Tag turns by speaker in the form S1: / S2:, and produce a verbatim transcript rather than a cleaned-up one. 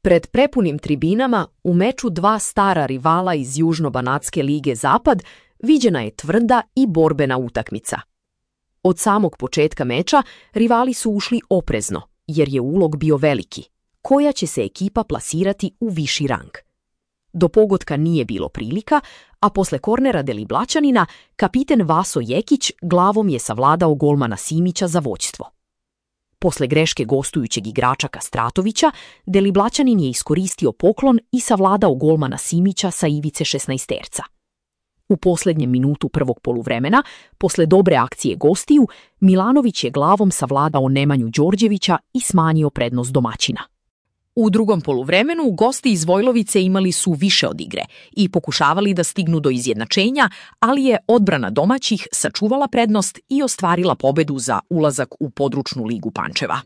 S1: Pred prepunim tribinama, u meču dva stara rivala iz Južno-Banatske lige Zapad, viđena je tvrda i borbena utakmica. Od samog početka meča rivali su ušli oprezno, jer je ulog bio veliki. Koja će se ekipa plasirati u viši rang? Do pogotka nije bilo prilika, a posle kornera Deliblaćanina, kapiten Vaso Jekić glavom je savladao golmana Simića za vođstvo. Posle greške gostujućeg igrača Kastratovića, Deliblaćanin je iskoristio poklon i savladao golmana Simića sa ivice šesnaesterca. U posljednjem minutu prvog poluvremena, posle dobre akcije gostiju, Milanović je glavom savladao Nemanju Đorđevića i smanjio prednost domaćina. U drugom poluvremenu gosti iz Vojlovice imali su više od igre i pokušavali da stignu do izjednačenja, ali je odbrana domaćih sačuvala prednost i ostvarila pobedu za ulazak u područnu ligu Pančeva.